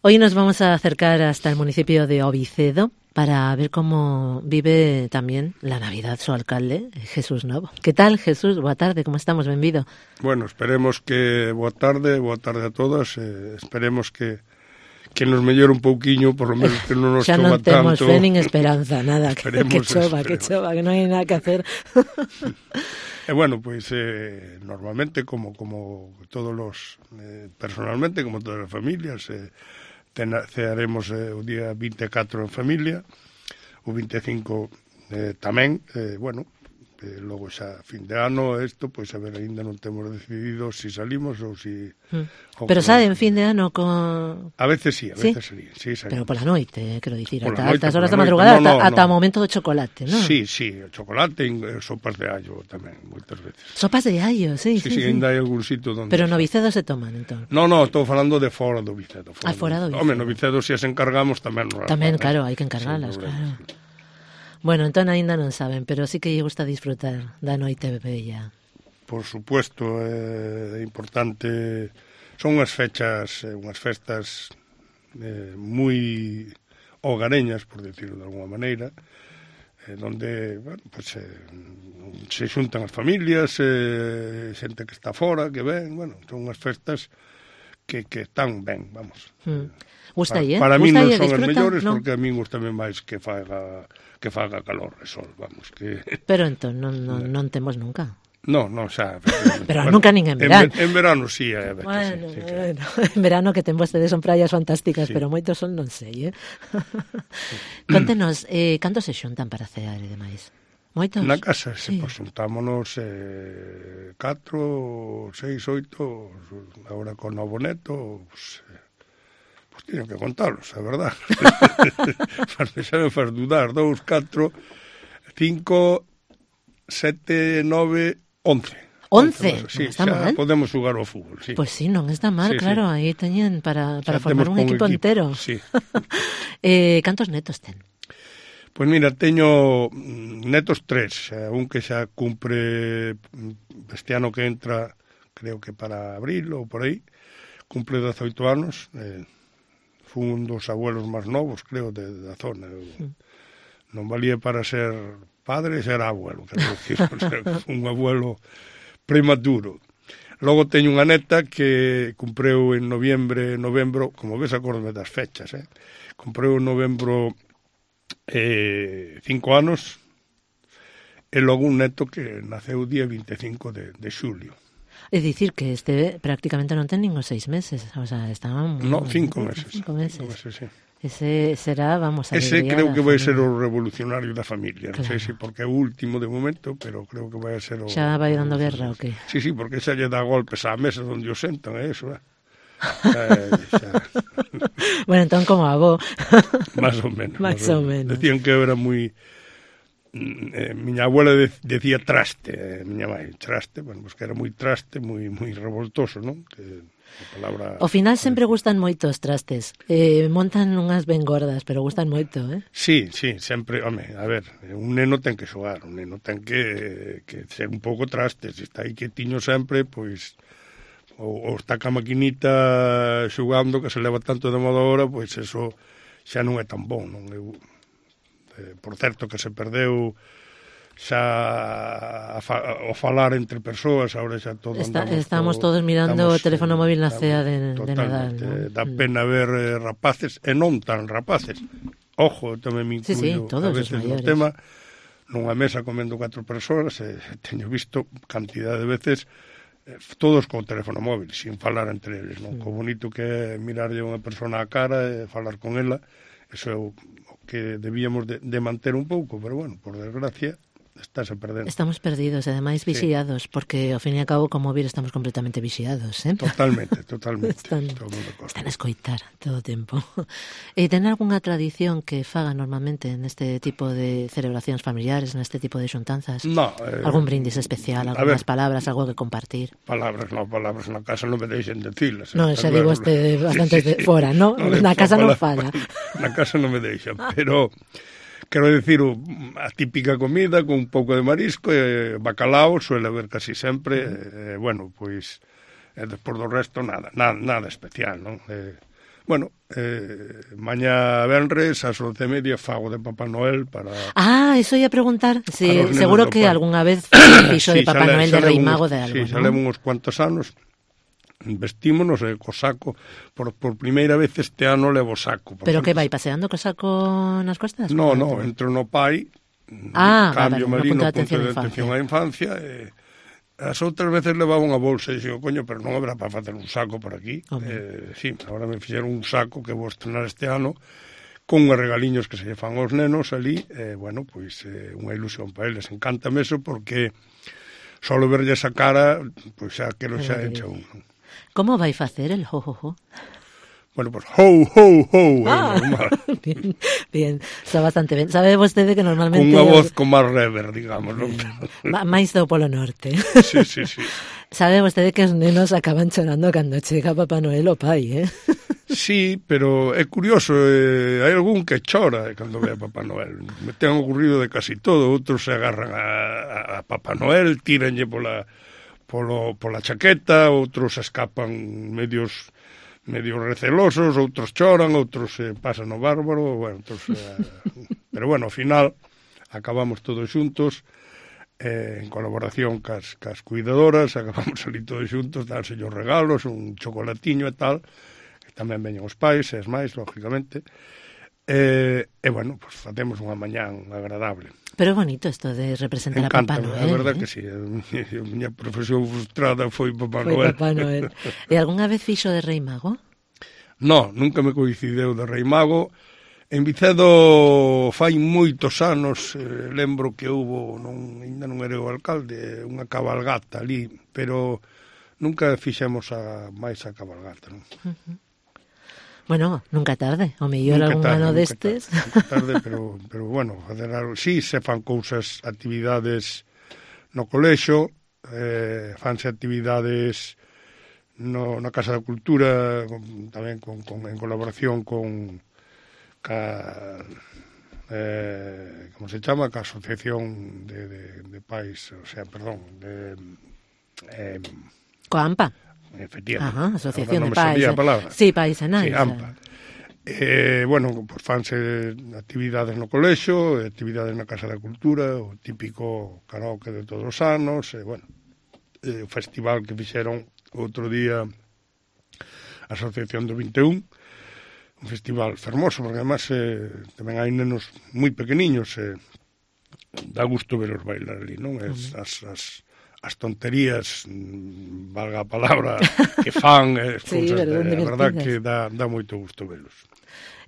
Hoy nos vamos a acercar hasta el municipio de Ovicedo para ver cómo vive también la Navidad su alcalde, Jesús Novo. ¿Qué tal, Jesús? Boa tarde, como estamos? Benvido. Bueno, esperemos que boa tarde a todas. Esperemos que nos mellore un pouquiño, por lo menos que non nos chova tanto. Xa non temos fe nin esperanza, nada, que chova, que non hai nada que hacer. Bueno, pues normalmente, como todos los, personalmente, como todas as familias, cearemos o día 24 en familia, o 25 tamén, bueno, logo xa fin de ano isto, pois a ver, ainda non temos decidido si salimos ou si... Pero sabe en fin de ano con... A veces sí, a veces sí, pero pola noite, quero dicir, ata altas horas da madrugada, ata o momento do chocolate, non? Sí, o chocolate e sopas de allo tamén, moitas veces. Sopas de allo, sí. Sí, ainda hai algún sitio donde... Pero no Vicedo se toman, entón? No, estou falando de fora do Vicedo. Fora do Vicedo. Home, no Vicedo se as encargamos tamén... Tamén, claro, hai que encargalas, claro. Bueno, entón aínda non saben, pero sí que lle gusta disfrutar da noite bella. Por supuesto, é importante. Son unhas fechas, unhas festas moi hogareñas, por decirlo de alguma maneira, donde, bueno, pues, se xuntan as familias, xente que está fora, que ven, bueno, son unhas festas que están ben, vamos. Gustalle, para mí non son as mellores, ¿no? Porque a mí gustame máis que faga calor e sol, vamos, que... Pero entón non temos nunca. No, xa... Pero bueno, nunca nin en verano. En verano sí, a ver. Bueno, sí, bueno, en verano que ten vostedes son praias fantásticas, sí. Pero moitos son non sei, Contenos, cantos se xuntan para cear e demais? Moitos? Na casa, sí. Pues xuntámonos 4, 6, 8, agora con novo neto, pues tiño que contarlos, a verdad. Xa me faz dudar, 2, 4, 5, 7, 9, 11. 11? Sí, está xa mal. Podemos xogar ao fútbol, sí. Pois sí, non está mal, sí, claro, sí. Aí teñen para formar un equipo entero. Sí. Cantos netos ten? Pois mira, teño netos 3, un que xa cumpre este ano que entra, creo que para abril ou por aí, cumple 18 anos, fue un dos abuelos máis novos, creo, da zona. Non valía para ser padre, ser abuelo, quero decir, un abuelo prematuro. Logo teño unha neta que cumpreu en novembro, como ves, acórdome das fechas, cumpreu en novembro 5 anos, e logo un neto que naceu o día 25 de xulio. É dicir que este prácticamente non ten ningún 6 meses, o sea, estaban... No, 5 meses. 5 meses. Sí. Ese será, vamos, ese creo que vai ser o revolucionario da familia. Claro. Non sei se porque é o último de momento, pero creo que vai ser o... Xa vai dando guerra, o que? Sí, porque xa lle dá golpes á mesa onde o sentan, é eso, Bueno, entón como avó. Más ou menos. Decían que eu era moi... miña abuela decía traste, miña mãe, traste, bueno, pues que era moi traste, moi revoltoso, non? Que a palabra... Ao final sempre gustan moito os trastes, montan unhas ben gordas, pero gustan moito, Sí, sempre, home, a ver, un neno ten que xogar, un neno ten que ser un pouco traste, se está aí quietiño sempre, pois, ou está ca maquinita xogando, que se leva tanto de moda agora, pois eso xa non é tan bon, non? Por certo que se perdeu xa o falar entre persoas, agora xa todo estamos todos mirando o teléfono móvil na cea de Nadal, ¿no? Dá pena ver rapaces e non tan rapaces, ojo, tamén me incluyo todos a veces no tema, nunha mesa comendo 4 persoas, teño visto cantidad de veces todos co teléfono móvil, sin falar entre eles, non? Co bonito que é mirarlle a unha persona á cara e falar con ela, eso é o que debíamos de manter un pouco, pero bueno, por desgracia, estáse perdendo. Estamos perdidos, ademais vixiados, porque ao fin e ao cabo, como vir, estamos completamente vixiados, Totalmente. Están a escoitar todo o tempo. E ten algunha tradición que faga normalmente neste tipo de celebracións familiares, neste tipo de xuntanzas? No. Algún brindis especial, algunhas palabras, algo que compartir? Palabras na casa non me deixen decilas. Non, xa digo este bastante fora, ¿no? Na casa non fala. Na casa non me deixan, pero... Quero dicir, a típica comida con un pouco de marisco e bacalao suele haber casi sempre, bueno, pois despois do resto nada especial, non? Bueno, mañá venres ás 11:30 fago de Papá Noel para... Eso ia preguntar. Sí, para os nenos seguro do que pai. algunha vez fixo de Papá Noel, de Rei Mago, de algo, Sí, xa ¿no? levo uns cuantos anos, vestímonos co saco. Por primeira vez este ano levo saco. Pero que vai, paseando co saco nas costas? No, entro no pai, cambio no marino, punto de punto de atención á infancia, as outras veces levaba unha bolsa e dixo, coño, pero non habrá para facer un saco por aquí. Sí, agora me fixeron un saco que vou estrenar este ano con uns regaliños que se lle fan aos nenos ali, bueno, pois unha ilusión para eles. Encántame eso porque solo verlle esa cara, pois xa quero xa encha un. Como vai facer el ho? Bueno, pues ho, normal. Bien, está bastante ben. Sabe vostede que normalmente... Con unha voz con máis rever, digamos, non? Máis do Polo Norte. Sí. Sabe vostede que os nenos acaban chorando cando chega Papá Noel o pai, Sí, pero é curioso, hai algún que chora cando ve a Papá Noel. Me ten ocurrido de casi todo, outros se agarran a Papá Noel, tíranlle pola chaqueta, outros escapan medios recelosos, outros choran, outros pasan o bárbaro, bueno, pero bueno, ao final acabamos todos xuntos, en colaboración cas cuidadoras, acabamos ali todos xuntos, danse os regalos, un chocolatiño e tal, que tamén veñen os pais e as máis, lógicamente, e bueno, pues facemos unha mañán agradable. Pero é bonito isto de representar a Papá Noel. É verdad que sí, a miña profesión frustrada foi Papá Noel. Papá Noel. E algunha vez fixo de Rei Mago? No, nunca me coincideu de Rei Mago. En Vicedo fai moitos anos, lembro que houbo, ainda non era o alcalde, unha cabalgata ali, pero nunca fixemos máis a cabalgata, non? Bueno, nunca tarde, o mellor algún ano destes. Nunca tarde, pero bueno, fazer algo. Sí, se fan cousas, actividades no colexo, fanse actividades na Casa da Cultura, tamén en colaboración con como se chama, ca Asociación de Pais, o sea, perdón, coa AMPA. Efectivamente. Asociación de Pais. Sí, Pais e Nais. Sí, AMPA. Bueno, pues fanse actividades no colexo, actividades na Casa da Cultura, o típico karaoke de todos os anos, bueno, o festival que fixeron outro día a Asociación do 21, un festival fermoso, porque además tamén hai nenos moi pequeniños, dá gusto veros bailar ali, non? As tonterías, valga a palabra, que fan, sí, cousas, a verdad que dá moito gusto velos.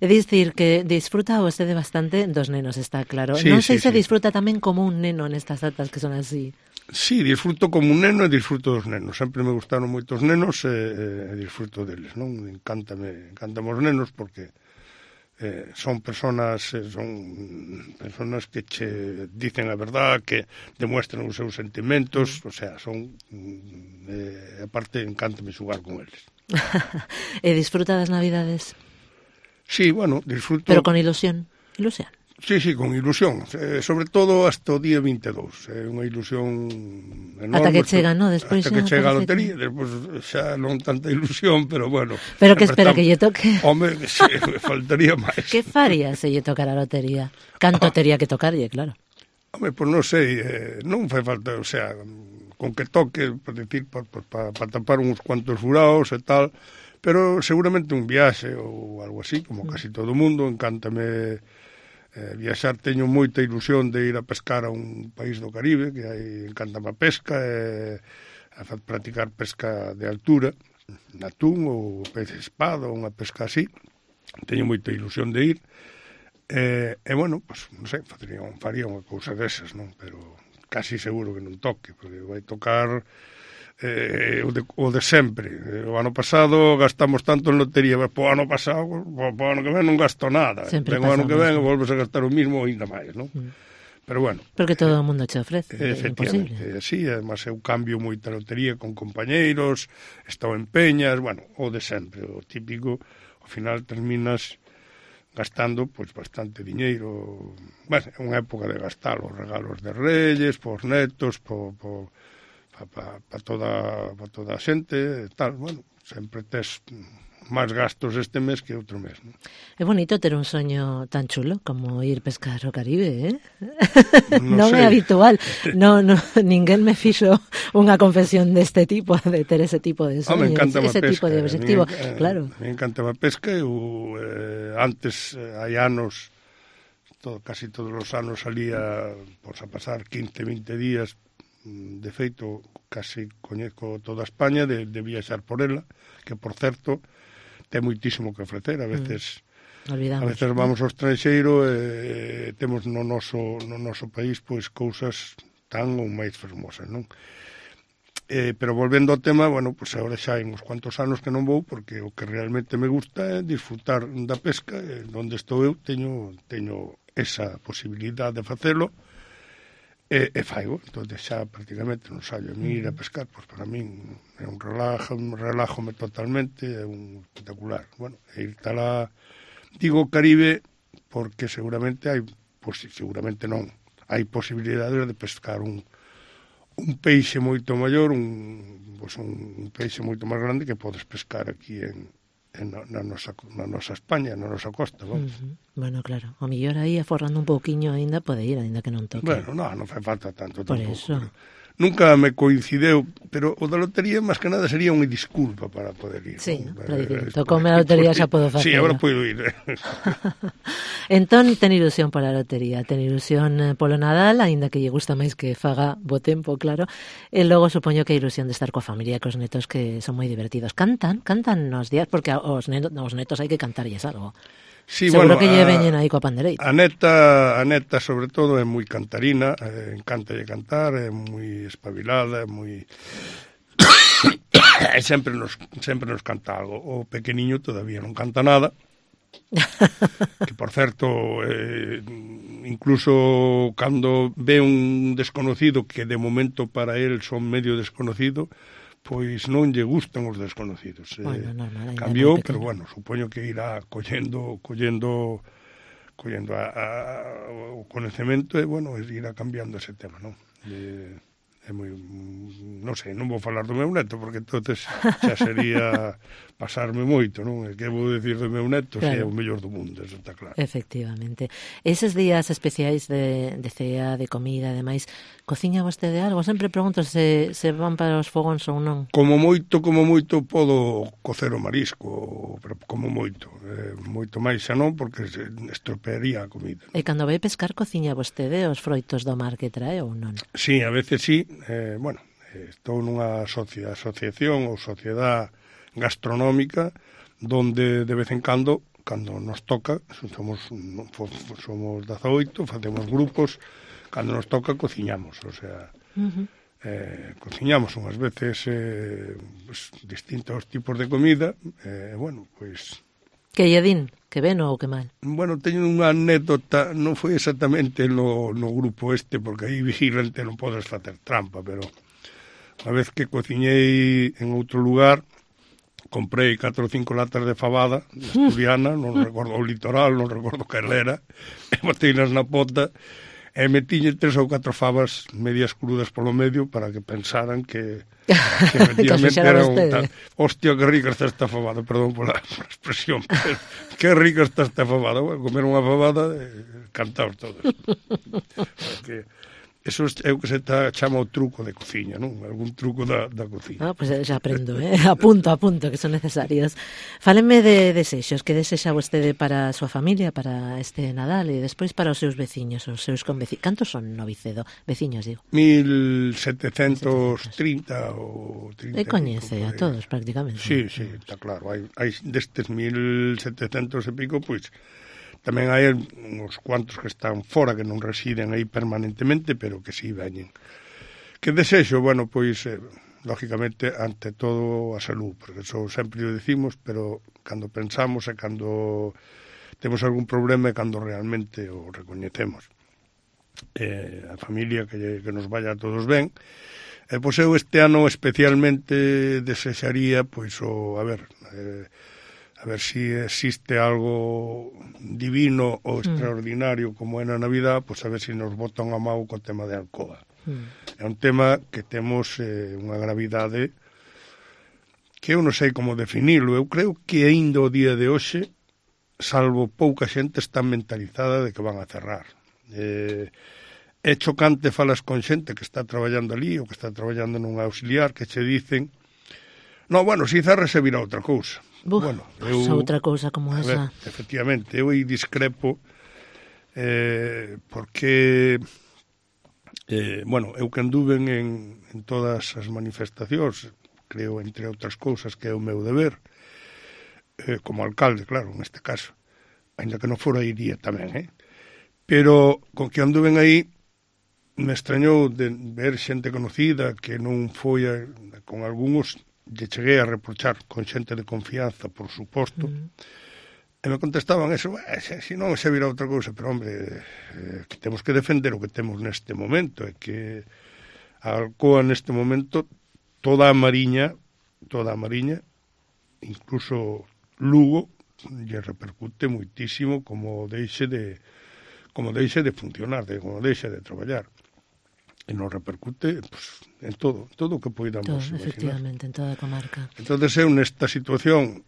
É dicir que disfruta vostede bastante dos nenos, está claro. Sí, non sei se sí. Disfruta tamén como un neno nestas datas que son así. Sí, disfruto como un neno e disfruto dos nenos. Sempre me gustaron moito os nenos e disfruto deles, non? Encántame os nenos porque son personas que che dicen a verdad, que demuestran os seus sentimentos, o sea, son aparte encántame xugar con eles. E disfruta das Navidades? Sí, bueno, disfruto. Pero con ilusión. Sí, con ilusión, sobre todo hasta o día 22, é unha ilusión enorme. Ata que chega, non? Despois ata que chega a lotería, despois xa non tanta ilusión, pero bueno. Pero que espera que lle toque? Home, sí, faltaría máis. Que faría se lle tocara a lotería? Canto tería que tocarlle, claro. Home, pois non sei, non fai falta, o sea, con que toque, por decir, para tapar uns cuantos furaos e tal, pero seguramente un viaxe ou algo así, como casi todo o mundo, encántame viaxar, teño moita ilusión de ir a pescar a un país do Caribe, que aí encantame a pesca, a practicar pesca de altura, atún ou pez espada, ou unha pesca así, teño moita ilusión de ir, e bueno, pues, non sei, faría unha cousa desas, non? Pero casi seguro que non toque, porque vai tocar o de sempre. O ano pasado gastamos tanto en lotería, pero po ano pasado, po ano que ven non gasto nada. Sempre o ano que ven volves a gastar o mismo ou ainda máis, non? Pero bueno. Porque todo o mundo che ofrece, é imposible. Sí, además eu cambio moita lotería con compañeiros, estou en peñas, bueno, o de sempre, o típico, ao final terminas gastando pois bastante diñeiro. Bueno, é unha época de gastar os regalos de Reyes, pos netos, para toda a xente, tal, bueno, sempre tes máis gastos este mes que outro mes, non? É bonito ter un soño tan chulo como ir pescar o Caribe, Non non é sei. habitual. Ninguén me fixo unha confesión deste tipo, de ter ese tipo de soños, ese tipo de objetivo. Claro. Me encantaba a pesca. Eu antes, hai anos, casi todos os anos salía a pasar 15, 20 días. De feito, casi coñezo toda España de viaxar por ela, que, por certo, ten moitísimo que ofrecer. A veces vamos ao estranxeiro e temos no noso país pois cousas tan ou máis fermosas, non? Pero volvendo ao tema, bueno, pois agora xa hai uns cuantos anos que non vou, porque o que realmente me gusta é disfrutar da pesca. Onde estou eu teño esa posibilidade de facelo, e faigo. Entón xa prácticamente non saio a mí ir a pescar, pois para min é un relájome totalmente, é un espectacular. Bueno, ir talá, digo Caribe porque seguramente hai posibilidades de pescar un peixe moito maior, un peixe moito máis grande que podes pescar aquí na nosa España, na nosa costa, vamos. Bueno, claro, o mellor aí aforrando un pouquiño aínda pode ir, aínda que non toque. Bueno, non fai falta tanto por tampouco. Eso. Nunca me coincideu, pero o da lotería, máis que nada, sería unha disculpa para poder ir. Sí, para dicir, tocoume a lotería, xa podo facelo. Sí, agora podo ir. Entón, ten ilusión pola lotería, ten ilusión polo Nadal, aínda que lle gusta máis que faga bo tempo, claro, e logo supoño que a ilusión de estar coa familia, cos netos, que son moi divertidos. Cantan nos días, porque aos netos hai que cantarlles algo. Sí, seguro que lle veñen aí coa pandereita. A neta, sobre todo, é moi cantarina, encántalle cantar, é moi espabilada, é moi... sempre nos canta algo. O pequeniño todavía non canta nada, que, por certo, incluso cando ve un desconocido, que de momento para él son medio desconocido, pois non lle gustan os desconocidos. Bueno, normal, cambiou, pero bueno, supoño que irá collendo o coñecemento e, bueno, irá cambiando ese tema, non? É moi, non sei, non vou falar do meu neto, porque entonces xa sería pasarme moito, non? E que vou dicir do meu neto, claro, se é o mellor do mundo, eso está claro. Efectivamente. Eses días especiais de cea, de comida, ademais, cociña vostede algo? Sempre pregunto se van para os fogóns ou non. Como moito podo cocer o marisco, pero como moito máis xa non, porque estropearía a comida. E cando vai pescar, cociña vostede os froitos do mar que trae ou non? Sí, a veces sí. Estou nunha asociación ou sociedade gastronómica donde de vez en cando nos toca, somos 18, facemos grupos, cando nos toca cociñamos, o sea, cociñamos unhas veces distintos tipos de comida, bueno, pois... Que lle din? Que ben ou que mal? Bueno, teño unha anécdota, non foi exactamente no grupo este, porque aí vigilante non podes facer trampa, pero unha vez que cociñei en outro lugar, comprei 4 ou 5 latas de fabada asturiana, non recordo o litoral, non recordo que era, e boteinas na pota, e metiñe 3 ou 4 fabas medias crudas polo medio para que pensaran que efectivamente era un tal... Hostia, que rica está esta fabada, perdón pola expresión, pero que rica está esta fabada. Bueno, comer unha fabada e cantar todos. Porque eso é o que se chama o truco de cociña, non? Algún truco da cociña. Pois xa aprendo, apunto, que son necesarios. Fálenme de desexos, que desexa vostede para a súa familia, para este Nadal e despois para os seus veciños, os seus conveciños. Cantos son no Vicedo? Veciños, digo. 1730 ou 30. E coñece a todos, prácticamente. Sí, está claro. Hai destes 1700 e pico, pois... Tamén hai uns cuantos que están fora, que non residen aí permanentemente, pero que sí veñen. Que desexo? Bueno, pois, lógicamente, ante todo a salud, porque eso sempre o decimos, pero cando pensamos e cando temos algún problema e cando realmente o recoñecemos. A familia, que nos vaya a todos ben. Pois eu este ano especialmente desexaría, pois, a ver si existe algo divino ou extraordinario como é na Navidad, pois a ver si nos botan a mau co tema de Alcoa. É un tema que temos unha gravidade que eu non sei como definirlo. Eu creo que aínda o día de hoxe, salvo pouca xente, está mentalizada de que van a cerrar. É chocante falas con xente que está traballando ali ou que está traballando nun auxiliar que che dicen no, bueno, si cerra se virá outra cousa. Bueno, outra cousa como esa. Efectivamente, eu aí discrepo porque bueno, eu que anduven en todas as manifestacións, creo, entre outras cousas, que é o meu deber, como alcalde, claro, neste caso, ainda que non fora iría tamén, pero con que anduven aí, me extrañou de ver xente conocida que non foi con algúns lle cheguei a reprochar con xente de confianza, por suposto, e me contestaban eso, se non se virá outra cousa, pero hombre, que temos que defender o que temos neste momento, e que a Alcoa neste momento, toda a Mariña, incluso Lugo, lle repercute moitísimo como deixe de funcionar, como deixe de traballar. E nos repercute pues, en todo o que poidamos imaginar. Efectivamente, en toda a comarca. Entonces eu nesta situación,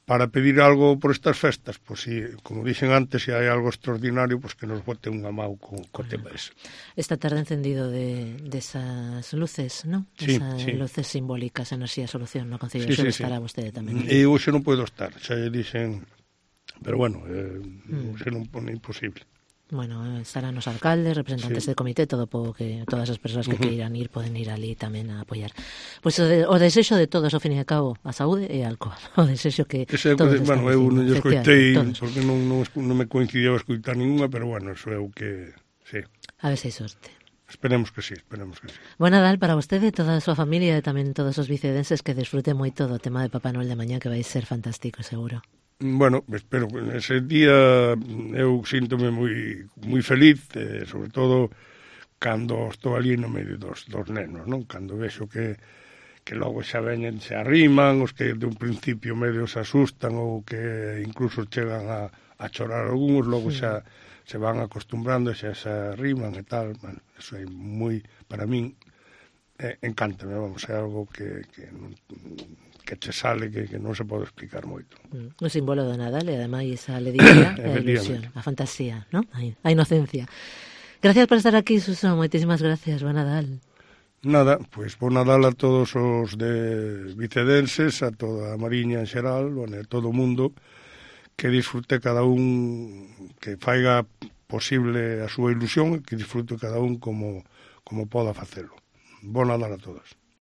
para pedir algo por estas festas, pues si, como dixen antes, se hai algo extraordinario, pues que nos bote unha mau co tema ese. Esta tarde encendido de esas luces, ¿no? Sí, esas luces simbólicas en Así a Solución, no Concello, sí, estará vostede tamén. E hoxe non podo estar, xa dixen, pero bueno, hoxe non pone imposible. Bueno, estarán os alcaldes, representantes del comité, todo que todas as persoas que queiran ir poden ir ali tamén a apoiar. Pois o desexo de todos, ao fin e ao cabo, a saúde e a Alcoa. O desexo que todos están dicindo. Eu non escoitei, porque non me coincidía a escoitar ninguna, pero bueno, eso é o que... Sí. A ver se hai sorte. Esperemos que sí. Buen Nadal para vostede e toda a súa familia e tamén todos os vicedenses, que desfruten moito do tema de Papá Noel de mañá, que vai ser fantástico, seguro. Bueno, espero que ese día eu síntome moi feliz, sobre todo cando estou ali no medio dos nenos, non? Cando vexo que logo xa veñen, se arriman, os que de un principio medio se asustan ou que incluso chegan a chorar algúns, logo xa se van acostumbrando, xa se arriman e tal. Bueno, eso é moi, para min, encántame, vamos, é algo que che sale que non se pode explicar moito. O símbolo do Nadal e ademais a alegría e a ilusión, a fantasía, ¿no? A inocencia. Gracias por estar aquí, Suso, moitísimas gracias, buen Nadal. Nada, pois buen Nadal a todos os de vicedenses, a toda a Mariña en xeral, bueno, a todo o mundo, que disfrute cada un, que faiga posible a súa ilusión, que disfrute cada un como poda facelo. Bon Nadal a todos.